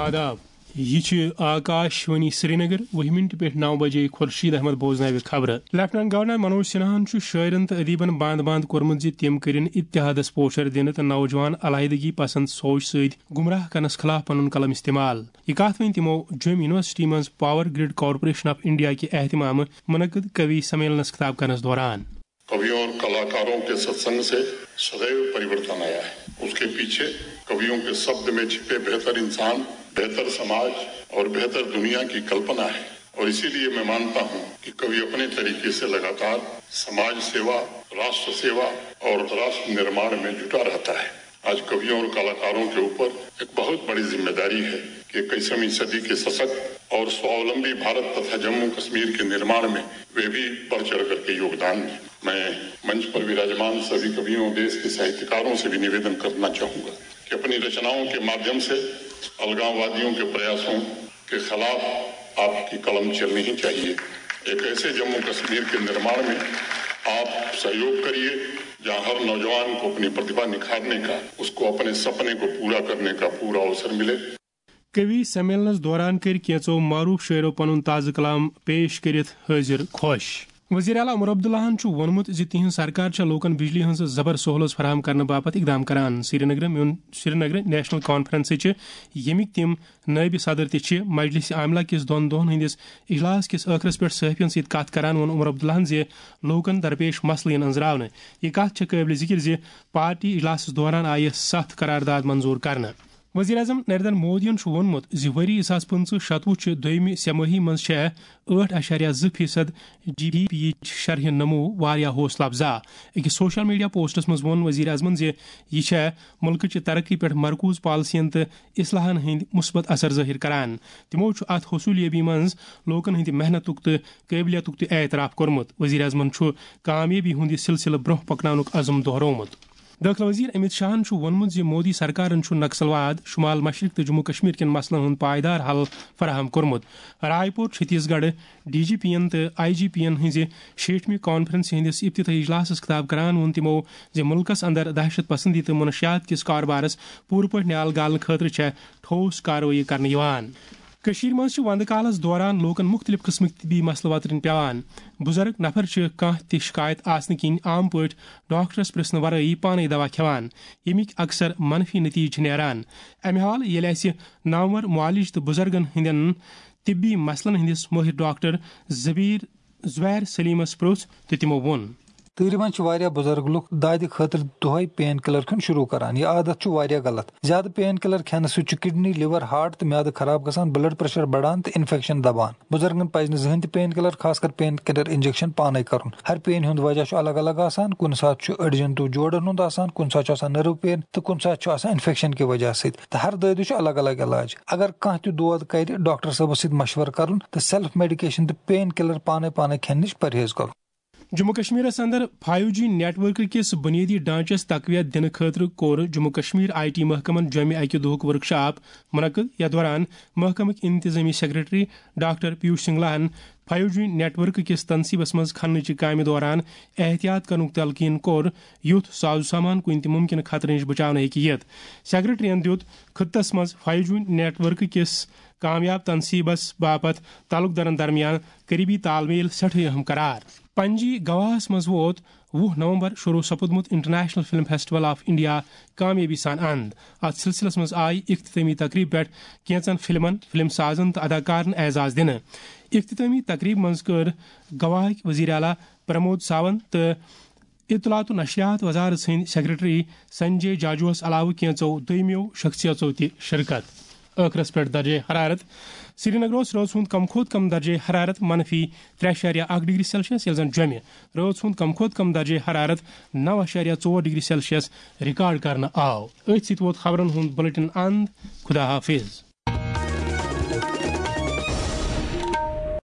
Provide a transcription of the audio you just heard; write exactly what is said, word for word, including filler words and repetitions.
آداب۔ یہِ چھِ آکاش وانی سرینگر، وُہہِ منٹہِ پٮ۪ٹھ نو بجے خورشید احمد بوزناوِ خبرٕ۔ لیفٹیننٹ گورنر منوج سنہاہن چھُ شٲعرن تہٕ ادیبن باند باند کوٚرمُت زِ تِم کٔرِن اتحادس پوچھر دِنہٕ تہٕ نوجوان علیحدگی پسند سوچ سۭتۍ گمراہ کرنس خلاف پنُن قلم استعمال۔ یہِ کتھ ؤنۍ تِمو جوٚم یونیورسٹی منٛز power grid corporation of India کہِ اہتمامہٕ منعقد کوی سمیلنس خطاب کرنس دوران۔ कवियों और कलाकारों के सत्संग से सदैव परिवर्तन आया है। उसके पीछे कवियों के शब्द में छिपे बेहतर इंसान, बेहतर समाज और बेहतर दुनिया की कल्पना है। और इसीलिए मैं मानता हूं कि कवि अपने तरीके से लगातार समाज सेवा, राष्ट्र सेवा और राष्ट्र निर्माण में जुटा रहता है। आज कवियों और कलाकारों के ऊपर एक बहुत बड़ी जिम्मेदारी है कि इक्कीसवीं सदी के सशक्त और स्वावलंबी भारत तथा जम्मू कश्मीर के निर्माण में वे भी बढ़ चढ़ करके योगदान दें। मैं मंच पर विराजमान सभी कवियों, देश के साहित्यकारों से भी निवेदन करना चाहूंगा कि अपनी रचनाओं के माध्यम से अलगाववादियों के प्रयासों के खिलाफ आपकी कलम चलनी ही चाहिए। एक ऐसे जम्मू कश्मीर के निर्माण में आप सहयोग करिए, जहां हर नौजवान को अपनी प्रतिभा निखारने का, उसको अपने सपने को पूरा करने का पूरा अवसर मिले। کوی سمیلنس دوران کٔرۍ کینٛژو معروف شٲعرو پنُن تازٕ کلام پیش کٔرِتھ حٲضِر خۄش۔ وزیر اعلیٰ عمر عبداللہن چھُ ووٚنمُت زِ تِہنٛز سرکار چھےٚ لوٗکن بجلی ہٕنٛز زبر سہولژ فراہم کرنہٕ باپتھ اقدام کران۔ سرینگرٕ میون سرینگرٕ نیشنل کانفرنسٕچ ییٚمِکۍ تِم نٲیِب صدر تہِ چھِ مجلس عاملہ کِس دۄن دۄہن ہٕنٛدِس اجلاس کِس ٲخرس پٮ۪ٹھ صحافین سۭتۍ کتھ کران ووٚن عمر عبداللہن زِ لوٗکن درپیش مسلہٕ یِن أنٛزراونہٕ۔ یہِ کتھ چھےٚ قٲبلِ ذِکِر زِ پارٹی اجلاسس دوران آیہِ ستھ قرارداد منظور کرنہٕ۔ وزیر اعظم نریندر مودیَن چھُ ووٚنمُت زِ ؤری زٕ ساس پٕنٛژٕہ شتوُہ چہِ دوٚیمہِ سہ مٲہی منٛز چھےٚ ٲٹھ اعشاریہ زٕ فیصد جی ڈی پی یِچ شرح نمو واریاہ حوصلہٕ افزا۔ أکِس سوشل میڈیا پوسٹس منٛز ووٚن وزیر اعظمن زِ یہِ چھےٚ مُلکٕچہِ ترقی پٮ۪ٹھ مرکوز پالیسین تہٕ اصلاحن ہٕنٛدۍ مثبت اثر ظٲہِر کران۔ تِمَو چھُ اَتھ حصوٗلیٲبی منٛز لوٗکَن ہٕنٛدِ محنتُک تہٕ قٲبلیتُک تہِ اعتراف کوٚرمُت۔ وزیر اعظمَن چھُ کامیٲبی ہُنٛد یہِ سلسلہٕ برٛونٛہہ پکناونُک عزم دۄہرومُت۔ دٲخلہٕ وزیر امت شاہَن چھُ ووٚنمُت زِ مودی سرکارَن چھُ نکسلواد، شمال مشرق تہٕ جموں کشمیر کٮ۪ن مسلن ہُنٛد پائیدار حل فراہم کوٚرمُت۔ رائے پور چھتیس گڑھ ڈی جی پی ین تہٕ آئی جی پی ین ہٕنٛزِ شیٹھمہِ کانفرنسہِ ہٕنٛدِس افتتاحی اجلاسَس خطاب کران ووٚن تِمَو زِ مُلکَس اندر دہشت پسندی تہٕ منشیات کِس کاربارَس پوٗرٕ پٲٹھۍ نیال گالنہٕ خٲطرٕ چھےٚ ٹھوس کاروٲیی کرنہٕ یِوان۔ کٔشیٖرِ منٛز چھِ وندٕ کالَس دوران لوٗکَن مُختٔلِف قٕسمٕکۍ طبی مسلہٕ وترٕنۍ پٮ۪وان۔ بُزرگ نفر چھِ کانٛہہ تہِ شکایت آسنہٕ کِنۍ عام پٲٹھۍ ڈاکٹرَس پرٛژھنہٕ ورٲیی پانَے دوا کھٮ۪وان، ییٚمِکۍ اکثر منفی نتیجہٕ چھِ نیران۔ امہِ حالہٕ ییٚلہِ اَسہِ نامور معالج تہٕ بُزرگَن ہٕنٛدٮ۪ن طبی مسلن ہٕنٛدِس مٲہِر ڈاکٹر زبیٖر زبیر سلیمس پرُژھ تہٕ تِمو ووٚن۔ تۭرِ منٛز چھِ واریاہ بُزرگ لُکھ دادِ خٲطرٕ دۄہے پین کِلر کھیوٚن شروع کران۔ یہِ عادت چھُ واریاہ غلط۔ زیادٕ پین کِلر کھٮ۪نہٕ سۭتۍ چھُ کڈنی، لِور، ہارٹ تہٕ میادٕ خراب گژھان، بلڈ پریشر بڑان تہٕ انفیکشن دبان۔ بُزرگن پزِ نہٕ زٕہٕنۍ تہِ پین کِلر، خاص کر پین کِلر انجیکشن، پانے کرُن۔ ہر پین ہُنٛد وجہ چھُ الگ الگ آسان۔ کُنہِ ساتہٕ چھُ أڈجن تہٕ جوڑن ہُنٛد آسان، کُنہِ ساتہٕ چھُ آسان نٔرو پین تہٕ کُنہِ ساتہٕ چھُ آسان انفیکشن کہِ وجہ سۭتۍ۔ تہٕ ہر دٲدِس چھُ الگ الگ علاج۔ اگر کانٛہہ تہِ دود کرِ، ڈاکٹر صٲبس سۭتۍ مشورٕ کرُن تہٕ سیلف میڈیکیشن تہٕ پین کِلر پانے پانے کھٮ۪نہٕ نِش پرہیز کرُن۔ جموں کشمیرس اندر فایو جی نیٹ ورک کِس بنیٲدی ڈھانچس تقویت دِنہٕ خٲطرٕ کوٚر جموں کشمیر آئی ٹی محکمن جوٚمہِ اکہِ دۄہُک ورکشاپ منعقد، یتھ دوران محکمٕکۍ انتظامی سیکرٹری ڈاکٹر پیوش سنگلاہن فایو جی نیٹ ورک کِس تنصیبس منٛز کھننٕچہِ کامہِ دوران احتیاط کرنُک تلقین کوٚر، یُتھ ساز و سامان کُنہِ تہِ ممکنہٕ خطرٕ نِش بچاونہٕ ہیٚکہِ یِتھ۔ سیکرٹریَن دِیُت خطس منٛز فایو جی نیٹ ورک کِس کامیاب تنصیبس باپتھ تعلقدارن درمیان قریبی تال میل سٮ۪ٹھاہ اہم قرار۔ پنجی گواہس منٛز ووت وُہ نومبر شروع سپُدمُت international film festival of India کامیٲبی سان اند۔ اتھ سلسلس منٛز آیہِ اختتٲمی تقریب پٮ۪ٹھ کینژن فلمن، فلم سازن تہٕ اداکارن اعزاز دِنہٕ۔ اختتٲمی تقریب منٛز کٔر گواہٕکۍ وزیر اعلیٰ پرمود ساونت تہٕ اطلاعات و نشریات وزارت سٕنٛدۍ سیکرٹری سنجے جاجوس علاوٕ کینٛژو دوٚیمٮ۪و شخصیژو تہِ شرکت۔ ٲخرس پٮ۪ٹھ درجے حرارت۔ سرینگرس رٲژ ہُنٛد کم کھۄتہٕ کم درجے حرارت منفی ترٛےٚ اعشاریہ اکھ ڈگری سیلسیس، ییٚلہِ زن جوٚمہِ رٲژ ہُنٛد کم کھۄتہٕ کم درجے حرارت نو اعشاریہ ژور ڈگری سیلسیس ریکارڈ کرنہٕ آو۔ أتھۍ سۭتۍ ووت خبرن ہُنٛد بُلٹن اند۔ خدا حافظ۔